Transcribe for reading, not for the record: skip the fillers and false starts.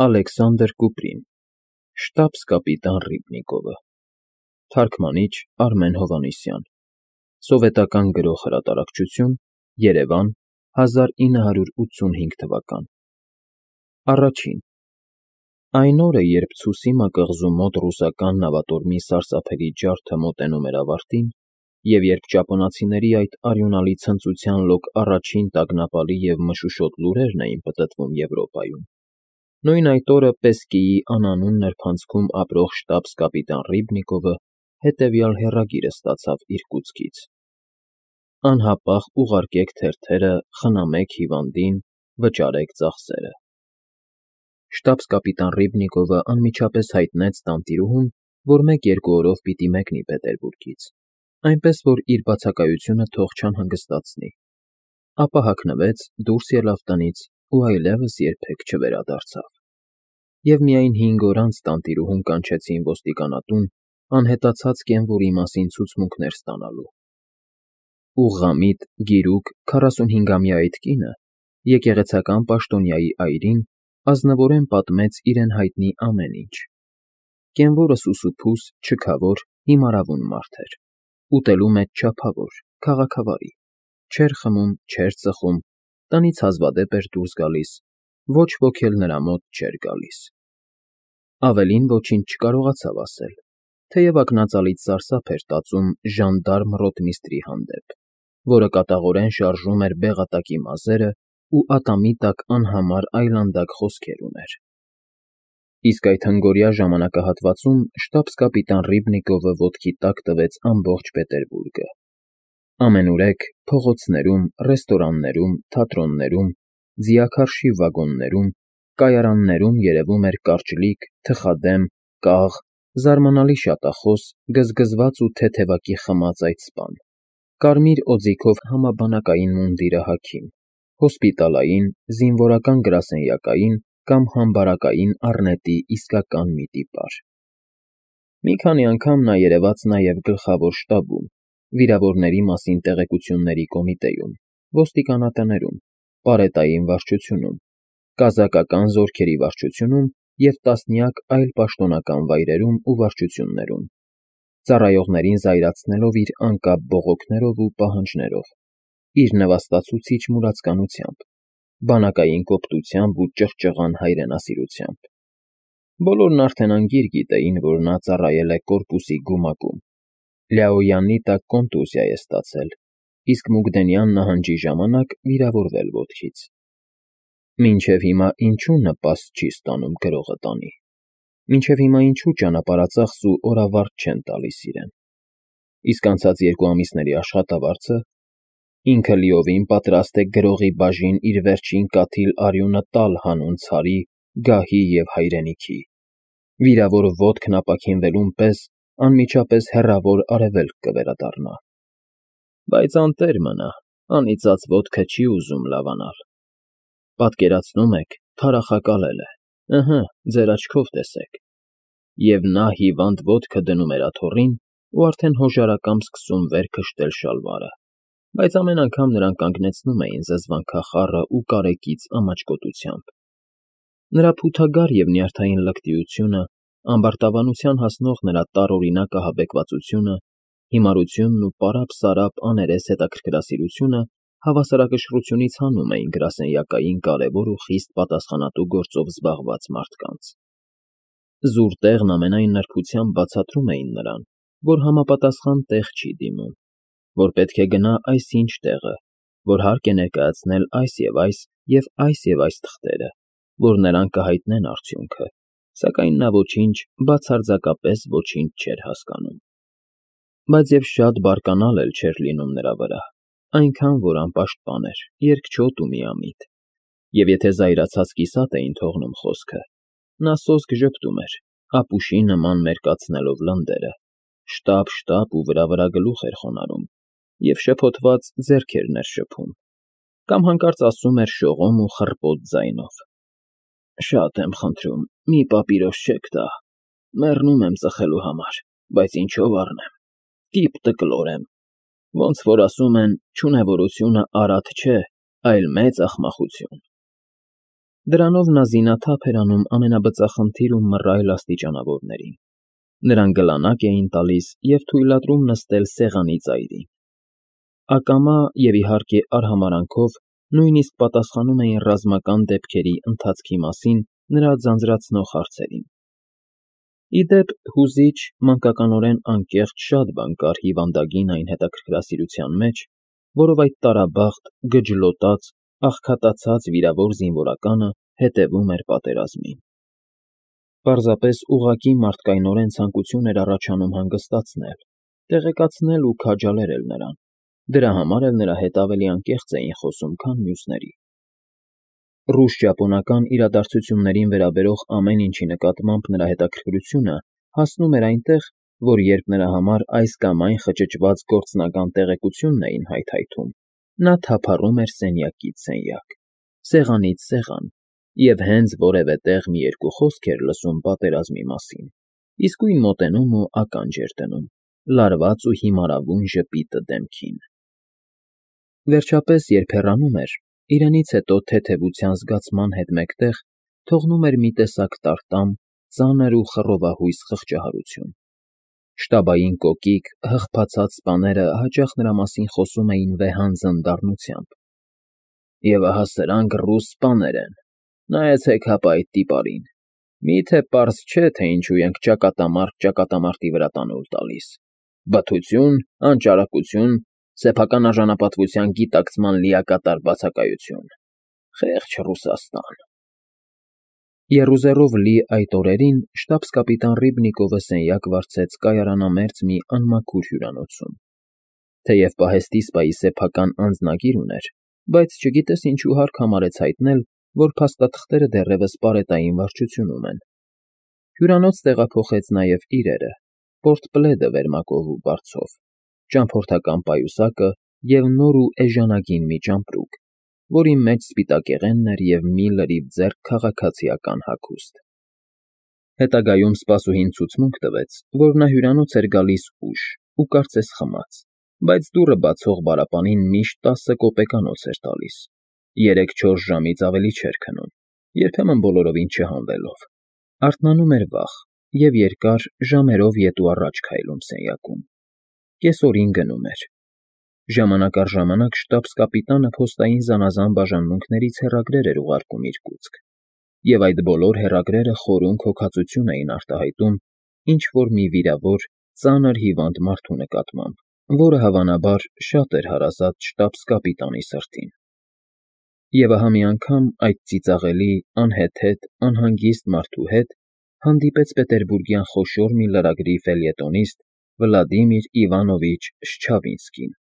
Ալեքսանդր Կուպրին, շտաբս-կապիտան Ռիբնիկովը, թարգմանիչ Արմեն Հովհաննիսյան, սովետական գրող հրատարակչություն, Երևան, 1985 թվական։ Առաջին Այն օրը, երբ Ցուսիմա կղզու մոտ ռուսական նավատորմի սարսափելի ջարդը մոտենում էր ավարտին, և երբ ճապոնացիների այդ արյունալի ցնծության լոկ առաջին տագնապալի և մշուշոտ լուրերն էին պտտվում Եվրոպայում, նույն այդ օրը Պեսկիի անանուն նրբանցքում ապրող շտաբս֊կապիտան Ռիբնիկովը հետևյալ հեռագիրը ստացավ Իրկուտսկից. «Անհապաղ ուղարկեք թերթերը, խնամեք հիվանդին, վճարեք ծախսերը»։ Շտաբս֊կապիտան Ռիբնիկովը անմիջապես հայտնեց տանտիրուհուն, որ 1-2 օրով պիտի մեկնի Պետերբուրգից, այնպես որ իր բացակայությունը թող չանհանգստացնի, ապա հագնվեց, դուրս ելավ տնից ու այլևս երբեք չվերադարձավ։ Եվ միայն 5 օր անց տանտիրուհուն կանչեցին ոստիկանատուն անհետացած կենվորի մասին ցուցմունքներ ստանալու։ Ուղղամիտ, գիրուկ, 45-ամյա այդ կինը եկեղեցական պաշտոնյայի այրին ազնվորեն պատմեց իրեն հայտնի ամեն ինչ։ Կենվորը սուսուփուս, չքավոր, հիմարավուն մարդ էր, ուտելու մեջ չափավոր, քաղաքավարի, չէր խմում, չէր ծխում, տնից հազվադեպ էր դուրս գալիս, ոչ ոք էլ նրա մոտ չէր գալիս։ Ավելին ոչինչ չկարողացավ ասել, թեև ակնածալից սարսափ էր տածում ժանդարմ ռոտմիստրի հանդեպ, որը կատաղորեն շարժում էր բեղատակի մազերը ու ատամի տակ անհամար այլանդակ խոսքեր ուներ։ Իսկ այդ հնգօրյա ժամանակահատվածում շտաբս֊կապիտան Ռիբնիկովը ոտքի տակ տվեց ամբողջ Պետերբուրգը։ Ամենուրեք փողոցներում, ռեստորաններում, թատրոններում, ձիաքարշի վագոններում, կայարաններում երևում էր կարճլիկ, թխադեմ, կաղ, զարմանալի շատախոս, գզգզված ու թեթևակի խմած այդ սպան, կարմիր օձիքով համաբանակային մունդիրը հագին, հոսպիտալային, զինվորական գրասենյակային կամ համբարակային առնետի իսկական մի տիպար։ Մի քանի անգամ նա երևաց նաև գլխավոր շտաբում, վիրավորների մասին տեղեկությունների կոմիտեում, ոստիկանատներում, պարետային վարչությունում, կազակական զորքերի վարչությունում և տասնյակ այլ պաշտոնական վայրերում ու վարչություններում, ծառայողներին զայրացնելով իր անկապ բողոքներով ու պահանջներով, իր նվաստացուցիչ մուրացկանությամբ, բանակային կոպտությամբ ու ճղճղան հայրենասիրությամբ։ Բոլորն արդեն անգիր գիտեին, որ նա ծառայել է կորպուսի գումակում, Լյաոյանի տակ կոնտուզիա է ստացել, իսկ Մուգդենյան նահանջի ժամանակ վիրավորվել ոտքից։ Մինչև հիմա ինչու նպաստ չի ստանում գրողը տանի, մինչև հիմա ինչու ճանապարհածախս ու օրավարձ չեն տալիս իրեն։ Իսկ անցած 2 ամիսների աշխատավարձը, ինքը լիովին պատրաստ է գրողի բաժին իր վերջին կաթիլ արյունը տալ հանուն ցարի, գահի և հայրենիքի, վիրավոր ոտքն ապաքինվելուն պես անմիջապես հեռավոր արևելք կվերադառնա։ Բայց անտեր մնա, անիծած ոտքը չի ուզում լավանալ։ Պատկերացնում եք, թարախակալել է, ըհը, ձեր աչքով տեսեք։ Եվ նա հիվանդ ոտքը դնում էր աթոռին ու արդեն հոժարակամ սկսում վեր քշտել շալվարը, բայց ամեն անգամ նրան կանգնեցնում էին զզվանքախառը ու կարեկից ամաչկոտությամբ։ Նրա փութագար և նյարդային լկտիությունը, ամբարտավանության հասնող նրա տարօրինակ ահաբեկվածությունը, հիմարությունն ու պարապ֊սարապ աներես հետաքրքրասիրությունը հավասարակշռությունից հանում էին գրասենյակային կարևոր ու խիստ պատասխանատու գործով զբաղված մարդկանց։ Զուր տեղն ամենայն նրբությամբ բացատրում էին նրան, որ համապատասխան տեղ չի դիմում, որ պետք է գնա այսինչ տեղը, որ հարկ է ներկայացնել այս և այս թղթերը, որ նրան կհայտնեն արդյունքը, սակայն նա ոչինչ, բացարձակապես ոչինչ չէր հասկանում։ Բայց և շատ բարկանալ էլ չէր լինում նրա վրա, այնքան, որ անպաշտպան էր, երկչոտ ու միամիտ, և եթե զայրացած կիսատ էին թողնում խոսքը, նա սոսկ ժպտում էր, ապուշի նման մերկացնելով լնդերը, շտապ ու վրա գլուխ էր խոնարհում և շփոթված ձեռք էր ներշփում, կամ հանկարծ ասում էր շողոմ ու խռպոտ ձայնով. «Շատ եմ խնդրում, մի պապիրոս չեք տա, մեռնում եմ ծխելու համար, բայց ինչով առնեմ, տիպ֊տկլոր եմ, ոնց որ ասում են, չունևորությունը արատ չէ, այլ մեծ ախմախություն»։ Դրանով նա զինաթափ էր անում ամենաբծախնդիր ու մռայլ աստիճանավորներին. նրան գլանակ էին տալիս և թույլատրում նստել սեղանի ծայրին. ակամա և, իհարկե, արհամարհանքով նույնիսկ պատասխանում էին ռազմական դեպքերի ընթացքի մասին նրա ձանձրացնող հարցերին։ Ի դեպ, հուզիչ, մանկականորեն անկեղծ շատ բան կար հիվանդագին այն հետաքրքրասիրության մեջ, որով այդ տարաբախտ, գջլոտած, աղքատացած վիրավոր զինվորականը հետևում էր պատերազմին։ Պարզապես ուղղակի մարդկայնորեն ցանկություն էր առաջանում հանգստացնել, տեղեկացնել ու քաջալերել նրան, դրա համար էլ նրա հետ ավելի անկեղծ էին խոսում, քան մյուսների։ Ռուս֊ճապոնական իրադարձություններին վերաբերող ամեն ինչի նկատմամբ նրա հետաքրքրությունը հասնում էր այնտեղ, որ երբ նրա համար այս կամ այն խճճված գործնական տեղեկությունն էին հայթայթում, նա թափառում էր սենյակից սենյակ, սեղանից սեղան և հենց որևէ տեղ մի երկու խոսք էր լսում պատերազմի մասին, իսկույն մոտենում ու ականջ էր դնում, լարված ու հիմարավուն ժպիտը դեմքին։ Վերջապես, երբ հեռանում էր, իրենից հետո թեթևության զգացման հետ մեկտեղ թողնում էր մի տեսակ տարտամ, ծանր ու խռովահույս խղճահարություն։ Շտաբային կոկիկ, հղփացած սպաները հաճախ նրա մասին խոսում էին վեհանձն դառնությամբ. «Եվ ահա սրանք ռուս սպաներ են, նայեցեք հապա այդ տիպարին, մի՞թե պարզ չէ, թե ինչու ենք ճակատամարտ ճակատամարտի վրա տանուլ տալիս. բթություն, անճարակություն, սեփական արժանապատվության գիտակցման լիակատար բացակայություն, խեղճ Ռուսաստան»։ Եռուզեռով լի այդ օրերին շտաբս֊կապիտան Ռիբնիկովը սենյակ վարձեց կայարանամերձ մի անմաքուր հյուրանոցում։ Թեև պահեստի սպայի սեփական անձնագիր ուներ, բայց չգիտես ինչու հարկ համարեց հայտնել, որ փաստաթղթերը դեռևս պարետային վարչությունում են։ Հյուրանոց տեղափոխեց նաև իրերը, պորտպլեդը վերմակով ու բարձով, ճամփորդական պայուսակը և նոր ու էժանագին մի ճամպրուկ, որի մեջ սպիտակեղենն էր և մի լրիվ ձեռք քաղաքացիական հագուստ։ Հետագայում սպասուհին ցուցմունք տվեց, որ նա հյուրանոց էր գալիս ուշ ու կարծես խմած, բայց դուռը բացող բարապանին միշտ 10 կոպեկանոց էր տալիս, 3-4 ժամից ավելի չէր քնում, երբեմն բոլորովին չհանվելով, արթնանում էր վաղ և երկար ժամերով ետ ու առաջ քայլում սենյակում, կեսօրին գնում էր։ Ժամանակ առ ժամանակ շտաբս֊կապիտանը փոստային զանազան բաժանմունքներից հեռագրեր էր ուղարկում իրկուտսկ, և այդ բոլոր հեռագրերը խորունկ հոգածություն էին արտահայտում ինչ֊որ մի վիրավոր, ծանր հիվանդ մարդու նկատմամբ, որը, հավանաբար, շատ էր հարազատ շտաբս֊կապիտանի սրտին։ Եվ ահա մի անգամ այդ ծիծաղելի, անհեթեթ, անհանգիստ մարդու հետ հանդիպեց պետերբուրգյան խոշոր մի լրագրի ֆելյետոնիստ Վլադիմիր Իվանովիչ Շչավինսկին։